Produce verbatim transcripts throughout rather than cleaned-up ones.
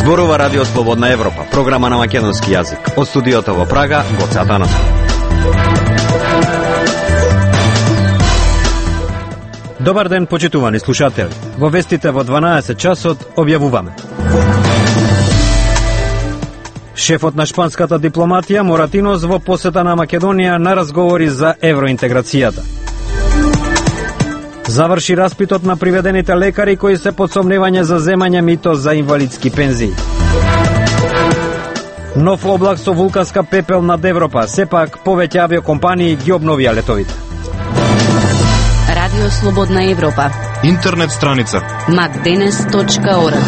Зборува Радио Слободна Европа, програма на македонски јазик. Од студиото во Прага, Гоце Атанасов. Добар ден, почитувани слушатели. Во вестите во дванаесет часот објавуваме. Шефот на шпанската дипломатија Моратинос во посета на Македонија на разговори за евроинтеграцијата. Заврши распитот на приведените лекари кои се под сомневање за земање мито за инвалидски пензии. Нов облак со вулканска пепел над Европа, сепак повеќе авиокомпании ги обновија летовите. Радио Слободна Европа. Интернет страница макденес точка орг.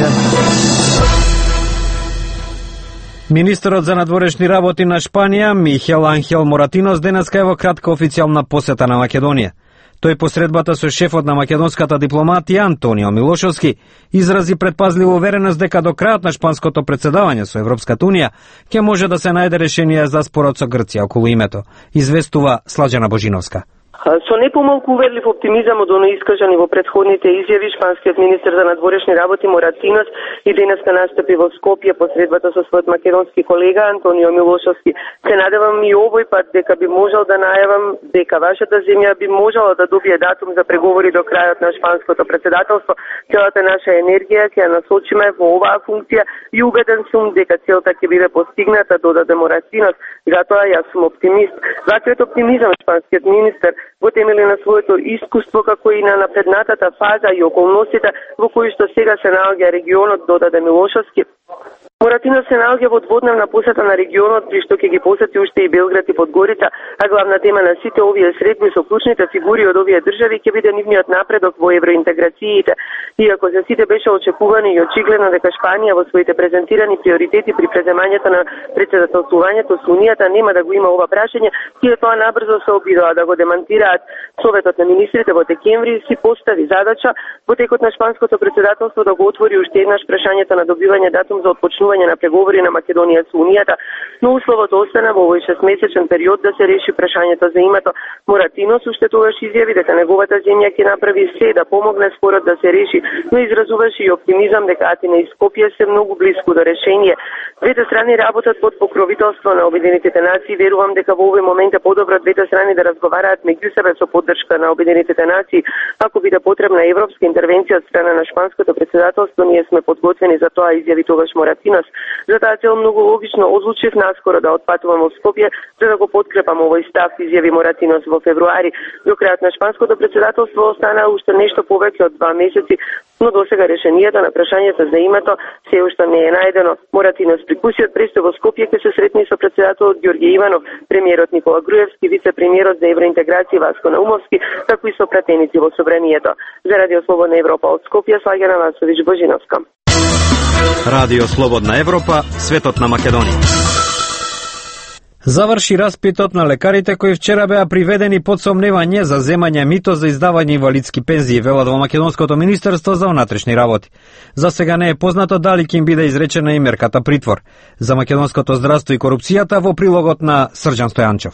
Министерот за надворешни работи на Шпанија, Михел Анхел Моратинос, денеска е во кратка официјална посета на Македонија. Тој посредбата со шефот на македонската дипломатија Антонио Милошовски изрази предпазлива увереност дека до крајот на шпанското председавање со Европската унија ќе може да се најде решение за спорот со Грција околу името, известува Слаđana Божиновска. Со непомалку уверлив оптимизам од оној искажани во претходните изјави, шпанскиот министер за надворешни работи Моратинос и денеска настапи во Скопје по средбата со својот македонски колега Антонио Милошовски. Се надевам и овој пат дека би можел да најавам дека вашата земја би можела да добие датум за преговори до крајот на шпанското председателство. Целата наша енергија ќе ја насочиме во оваа функција и убеден сум дека целта ќе биде постигната, додаде Моратинос. Затоа јас сум оптимист. Ваквиот оптимизам шпанскиот министер го темели на своето искуство како и на напреднатата фаза и околностите во кои што сега се наоѓа регионот, додаде Милошовски. Моратинос се наоѓа во дводневна посета на регионот, при што ќе ги посети уште и Белград и Подгорица, а главна тема на сите овие средби со клучните фигури од овие држави ќе биде нивниот напредок во евроинтеграциите. Иако за сите беше очекувано и очигледно дека Шпанија во своите презентирани приоритети при преземањето на председателствувањето со Унијата нема да го има ова прашање, тие тоа набрзо се обидоа да го демантираат. Советот на министрите во декември си постави задача во текот на шпанското председателство да го отвори уште еднаш прашањето на добивање датум за отпочнување на преговори на Македонија со Унијата, но условот остана во овој шестмесечен период да се реши прашањето за името. Моратинос уште тогаш изјави дека неговата земја ќе направи се да помогне спорот да се реши, но изразуваше и оптимизам дека Атина и Скопје се многу близко до решение. Двете страни работат под покровителство на Обединетите нации. Верувам дека во овој момент е подобро двете страни да разговараат меѓу себе со поддршка на Обединетите нации. Ако биде потребна европска интервенција од страна на шпанското председателство, ние сме подготвени за тоа, изјави тогаш Моратинос. За таа цел многу логично одлучив наскоро да отпатувам во Скопје за да го подкрепам овој став, изјави Моратинос во февруари. До крајот на шпанското председателство остана уште нешто повеќе од два месеци, но досега решението на прашањето за името се уште не е најдено. Моратинос при кусиот престо во Скопје ќе се сретни со председателот Ѓорѓе Иванов, премиерот Никола Груевски, вице-премиерот за евроинтеграција Васко Наумовски, како и со пратеници во собранието. За Радио Слободна Европа од Скопје, Слаđana Божиновска. Радио Слободна Европа, светот на Македонија. Заврши распитот на лекарите кои вчера беа приведени под сомневање за земање мито за издавање инвалидски пензии, велат во Македонското министерство за внатрешни работи. За сега не е познато дали ќе им биде изречена и мерката притвор. За македонското здравство и корупцијата во прилогот на Срđan Стојанчев.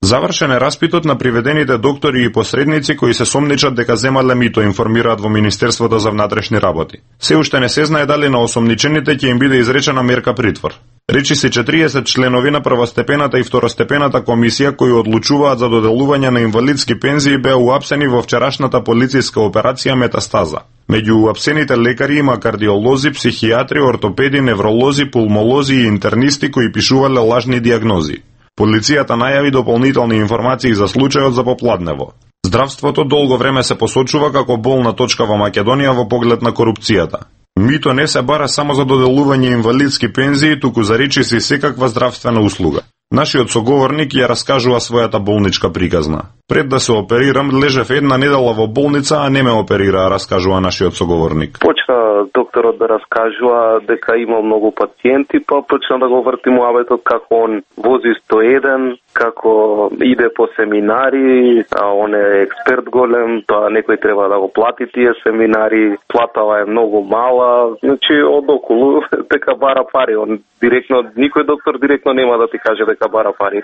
Завршен е распитот на приведените доктори и посредници кои се сомничат дека земале мито, информираат во Министерството за внатрешни работи. Се уште не се знае дали на осомничените ќе им биде изречена мерка притвор. Речи се четириесет членови на првостепената и второстепената комисија кои одлучуваат за доделување на инвалидски пензии беа уапсени во вчерашната полициска операција Метастаза. Меѓу уапсените лекари има кардиолози, психијатри, ортопеди, невролози, пулмолози и интернисти кои пишувале лажни диагнози. Полицијата најави дополнителни информации за случајот за попладнево. Здравството долго време се посочува како болна точка во Македонија во поглед на корупцијата. Мито не се бара само за доделување инвалидски пензии, туку за речиси секаква здравствена услуга. Нашиот соговорник ја раскажува својата болничка приказна. Пред да се оперирам, лежев една недела во болница, а не ме оперира, раскажува нашиот соговорник. Почна докторот да раскажува дека има многу пациенти, па почна да го врти муабетот како он вози сто еден, како иде по семинари, а он е експерт голем, тоа некој треба да го плати тие семинари, платава е многу мала, значи од околу дека бара пари, он директно, никој доктор директно нема да ти каже дека бара пари.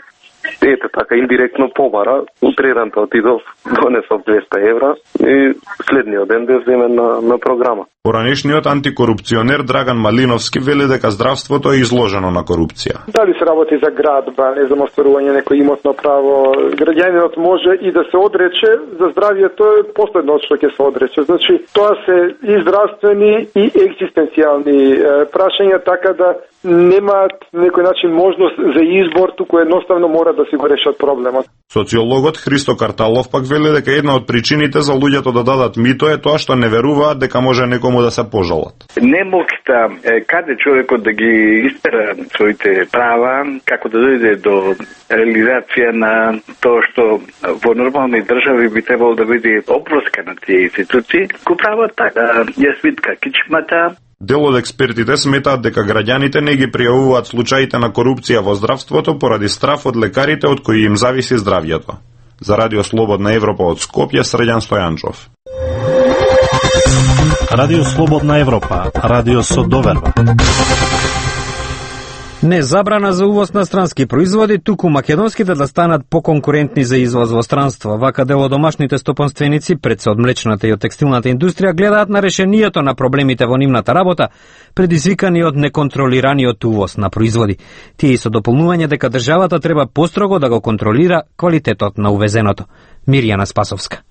Ете така, индиректно побара. Утредента отидов донесов двеста евра и следниот ден да земе на, на програма. Поранешниот антикорупционер Драган Малиновски вели дека здравството е изложено на корупција. Дали се работи за градба, не за остварување некој имотно право, граѓанинот може и да се одрече за здравјето е последно што ќе се одрече. Значи, тоа се и здравствени и екзистенцијални е, прашања, така да немаат некој начин можност за избор, туку едноставно мора да си го решат проблемот. Социологот Христо Карталов пак вели дека една од причините за луѓето да дадат мито е тоа што не веруваат дека може некому да се пожалат. Немокта каде човекот да ги истера своите права, како да дојде до реализација на тоа што во нормални држави би требало да биде опроска на тие институции, го прават така, ја свитка кичмата. Дел од експертите сметаат дека граѓаните не ги пријавуваат случаите на корупција во здравството поради страф од лекарите од кои им зависи здравјето. За Радио Слободна Европа од Скопје, Среѓан Стојанчов. Радио Слободна Европа, радио со доверба. Не забрана за увоз на странски производи, туку македонските да станат поконкурентни за извоз во странство. Вака дел од домашните стопанственици, пред се од млечната и од текстилната индустрија, гледаат на решението на проблемите во нивната работа, предизвикани од неконтролираниот увоз на производи. Тие и со дополнување дека државата треба построго да го контролира квалитетот на увезеното. Мирјана Спасовска.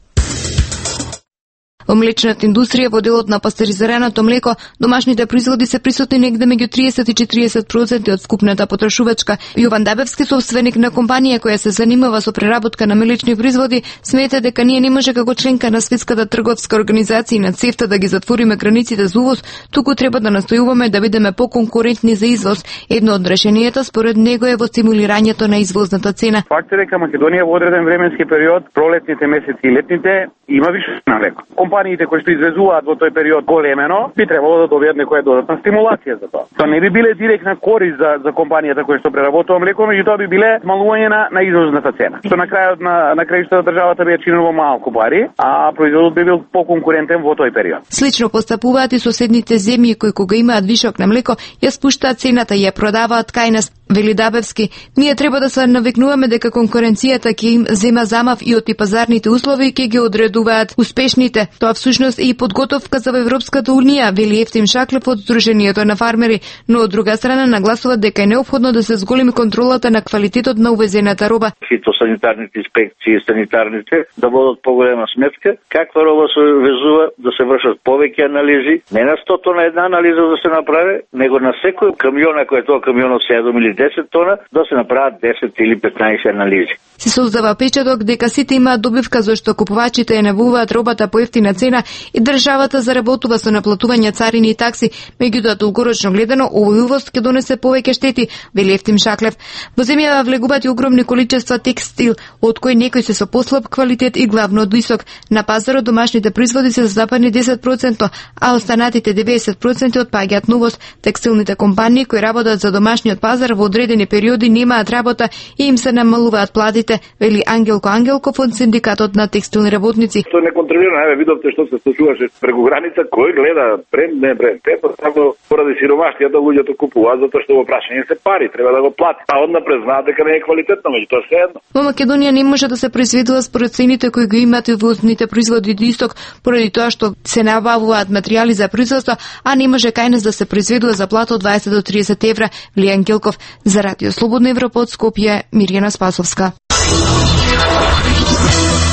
Во млечната индустрија, во делот на пастеризираното млеко, домашните производи се присутни негде меѓу триесет и четириесет проценти од скупната потрошувачка. Јован Дабевски, собственик на компанија која се занимава со преработка на млечни производи, смета дека ние не може како членка на Светската трговска организација на ЦЕФТА да ги затвориме границите за увоз, туку треба да настојуваме да бидеме поконкурентни за извоз. Едно од решенијата според него е во стимулирањето на извозната цена. Факт е дека Македонија во одреден временски период, пролетните месеци и летните, има више на млеко. Компаниите кои што извезуваат во тој период големено, би требало да добијат некоја додатна стимулација за тоа. Тоа не би биле директна корист за за компанијата која што преработува млеко, меѓутоа би биле смалување на на извозната цена. Што на крајот на на крајштата државата би ја чинило малку пари, а производот би бил поконкурентен во тој период. Слично постапуваат и соседните земји кои кога имаат вишок на млеко, ја спуштаат цената и ја продаваат кај нас. Вели Дабевски, ние треба да се навикнуваме дека конкуренцијата ќе им зема замав и од и пазарните услови и ќе ги одредуваат успешните. Тоа всушност е и подготовка за Европската унија, вели Ефтим Шаклев од Сдруженијето на фармери, но од друга страна нагласуваат дека е неопходно да се зголеми контролата на квалитетот на увезената роба. Фитосанитарните инспекции и санитарните да водат поголема сметка, каква роба се везува, да се вршат повеќе анализи, не на сто тона една анализа да се направи, него на секој камион, ако е тоа камионот седум или десет тона, да се направат десет или петнаесет анализи. Се создава печаток дека сите имаат добивка зашто купувачите ја набуваат робата по ефтина цена и државата заработува со наплатување царини и такси, меѓутоа долгорочно гледано овој увоз ќе донесе повеќе штети, вели Ефтим Шаклев. Во земјава влегуваат и огромни количества текстил, од кои некои се со послаб квалитет и главно од висок. На пазарот домашните производи се застапани десет проценти, а останатите деветдесет проценти отпаѓаат на увоз. Текстилните компании кои работат за домашниот пазар во одредени периоди немаат работа и им се намалуваат платите, вели Ангелко Ангелков од синдикатот на текстилни работници. Тоа не контролира, еве видовте што се случуваше преку граница, кој гледа бренд, не бренд. Те просто поради сиромаштијата луѓето купуваат затоа што во прашање се пари, треба да го плати. А однапред знаат дека не е квалитетно, меѓутоа се едно. Во Македонија не може да се произведува според цените кои ги имаат увозните производи од исток, поради тоа што се набавуваат материјали за производство, а не може кај нас да се произведува за плата од дваесет до триесет евра, вели Ангелков. За Радио Слободна Европа од Скопје, Мирјана Спасовска.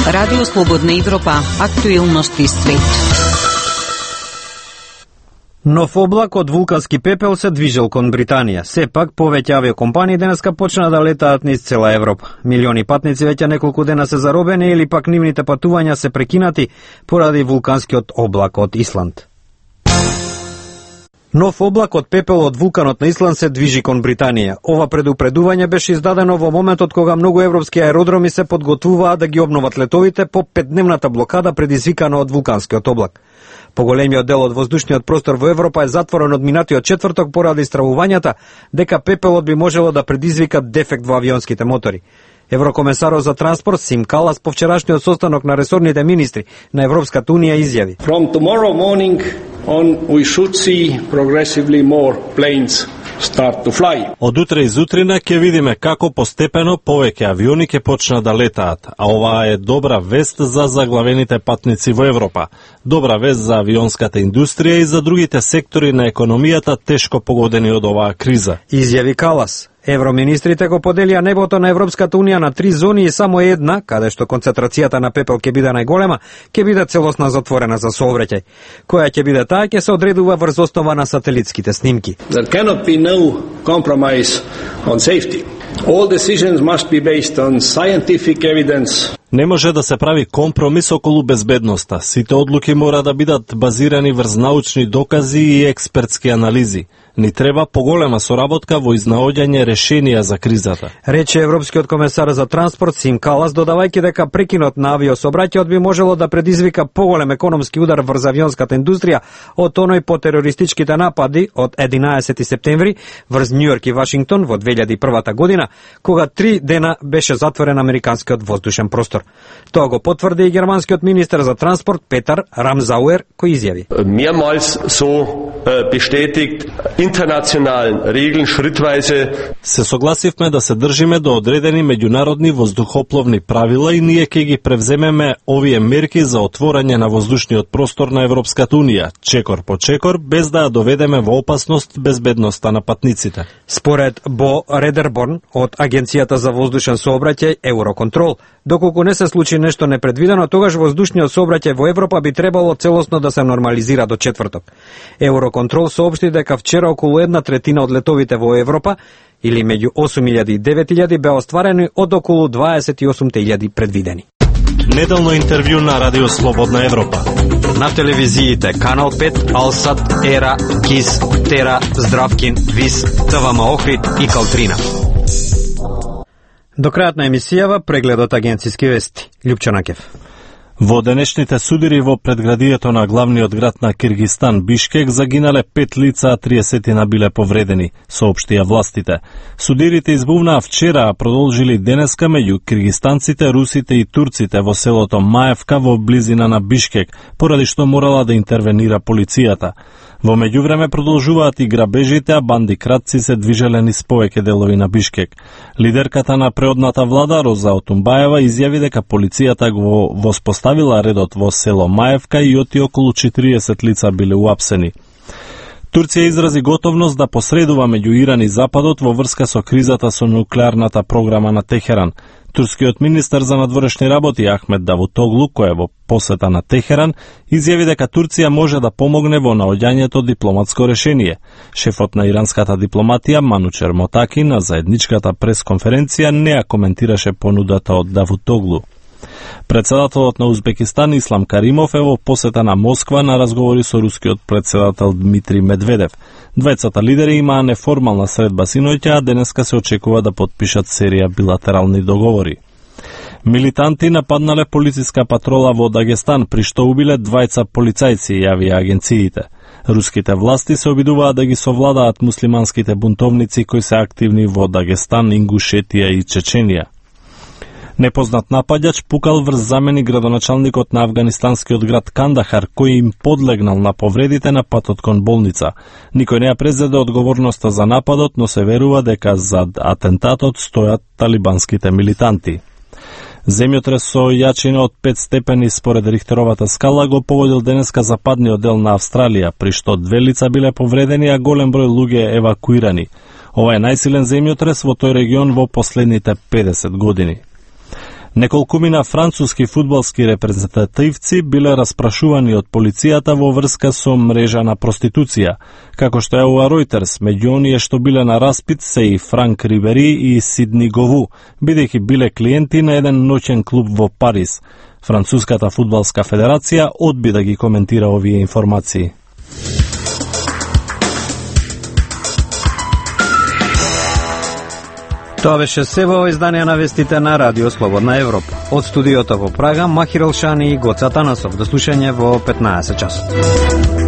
Радио Слободна Европа, актуелности свет. Нов облак од вулкански пепел се движел кон Британија. Сепак, повеќе авиокомпании денеска почна да летаат низ цела Европа. Милиони патници веќе неколку дена се заробени или пак нивните патувања се прекинати поради вулканскиот облак од Исланд. Нов облак од пепел од вулканот на Исланд се движи кон Британија. Ова предупредување беше издадено во моментот кога многу европски аеродроми се подготвуваат да ги обноват летовите по петдневната блокада предизвикана од вулканскиот облак. Поголемиот дел од воздушниот простор во Европа е затворен од минатиот четврток поради стравувањата дека пепелот би можело да предизвика дефект во авионските мотори. Еврокомесарот за транспорт Сим Калас по вчерашниот состанок на ресорните министри на Европската унија изјави: From tomorrow morning on we should see progressively more planes start to fly. Од утре изутрина ќе видиме како постепено повеќе авиони ќе почнат да летаат, а оваа е добра вест за заглавените патници во Европа. Добра вест за авионската индустрија и за другите сектори на економијата тешко погодени од оваа криза. Изјави Калас. Евроминистрите го поделија небото на Европската унија на три зони и само една, каде што концентрацијата на пепел ќе биде најголема, ќе биде целосно затворена за сообраќај. Која ќе биде таа ќе се одредува врз основа на сателитските снимки. There cannot be no compromise on safety. All decisions must be based on scientific evidence. Не може да се прави компромис околу безбедноста. Сите одлуки мора да бидат базирани врз научни докази и експертски анализи. Ни треба поголема соработка во изнаоѓање решенија за кризата. Рече Европскиот комесар за транспорт Сим Калас, додавајќи дека прекинот на авиособраќајот би можело да предизвика поголем економски удар врз авионската индустрија од оној по терористичките напади од единаесети септември врз Њујорк и Вашингтон во две илјади и прва година, кога три дена беше затворен американскиот воздушен простор. Тоа го потврди и германскиот министер за транспорт Петер Рамсауер, кој изјави: Mehrmals so bestätigt, internationalen Regeln schrittweise. Се согласивме да се држиме до одредени меѓународни воздухопловни правила и ние ќе ги превземеме овие мерки за отворање на воздушниот простор на Европската унија, чекор по чекор, без да ја доведеме во опасност безбедноста на патниците. Според Бо Редерборн од Агенцијата за воздушен сообраќај Евроконтрол, доколку не се случи нешто непредвидено, тогаш воздушниот сообраќај во Европа би требало целосно да се нормализира до четврток. Евроконтрол соопшти дека вчера околу една третина од летовите во Европа, или меѓу осум илјади и девет илјади, беа остварени од околу дваесет и осум илјади предвидени. Неделно интервју на Радио Слободна Европа. На телевизиите Канал пет, Алсат, Ера, Кис, Тера, Здравкин, Вис, ТВМ Охрид и Калтрина. До крајот на емисијава прегледот агенциски вести. Љупчо Накев. Во денешните судири во предградието на главниот град на Киргистан, Бишкек, загинале пет лица, а триесет биле повредени, соопштија властите. Судирите избувнаа вчера, а продолжили денеска меѓу киргистанците, русите и турците во селото Маевка во близина на Бишкек, поради што морала да интервенира полицијата. Во меѓувреме продолжуваат и грабежите, а банди кратци се движеле низ повеќе делови на Бишкек. Лидерката на преодната влада, Роза Отумбаева, изјави дека полицијата го воспоставила редот во село Маевка и оти околу четириесет лица биле уапсени. Турција изрази готовност да посредува меѓу Иран и Западот во врска со кризата со нуклеарната програма на Техеран. Турскиот министер за надворешни работи Ахмед Давутоглу, кој е во посета на Техеран, изјави дека Турција може да помогне во наоѓањето дипломатско решение. Шефот на иранската дипломатија Манучер Мотаки на заедничката пресконференција не ја коментираше понудата од Давутоглу. Председателот на Узбекистан Ислам Каримов е во посета на Москва на разговори со рускиот председател Дмитрий Медведев. Двајцата лидери имаа неформална средба синоќа, а денеска се очекува да подпишат серија билатерални договори. Милитанти нападнале полициска патрола во Дагестан, при што убиле двајца полицајци, јавија агенциите. Руските власти се обидуваат да ги совладаат муслиманските бунтовници кои се активни во Дагестан, Ингушетија и Чеченија. Непознат напаѓач пукал врз замени градоначалникот на афганистанскиот град Кандахар, кој им подлегнал на повредите на патот кон болница. Никој не ја презеде одговорноста за нападот, но се верува дека зад атентатот стојат талибанските милитанти. Земјотрес со јачина од пет степени според Рихтеровата скала го погодил денеска западниот дел на Австралија, при што две лица биле повредени, а голем број луѓе евакуирани. Ова е најсилен земјотрес во тој регион во последните педесет години. Неколкумина француски фудбалски репрезентативци биле распрашувани од полицијата во врска со мрежа на проституција. Како што јавува Reuters, меѓу оние што биле на распит се и Франк Рибери и Сидни Гову, бидејќи биле клиенти на еден ноќен клуб во Париз. Француската фудбалска федерација одби да ги коментира овие информации. Тоа беше се во издание на вестите на Радио Слободна Европа. Од студиото во Прага, Махир Елшани и Гоца Танасов. До слушање во петнаесет часот.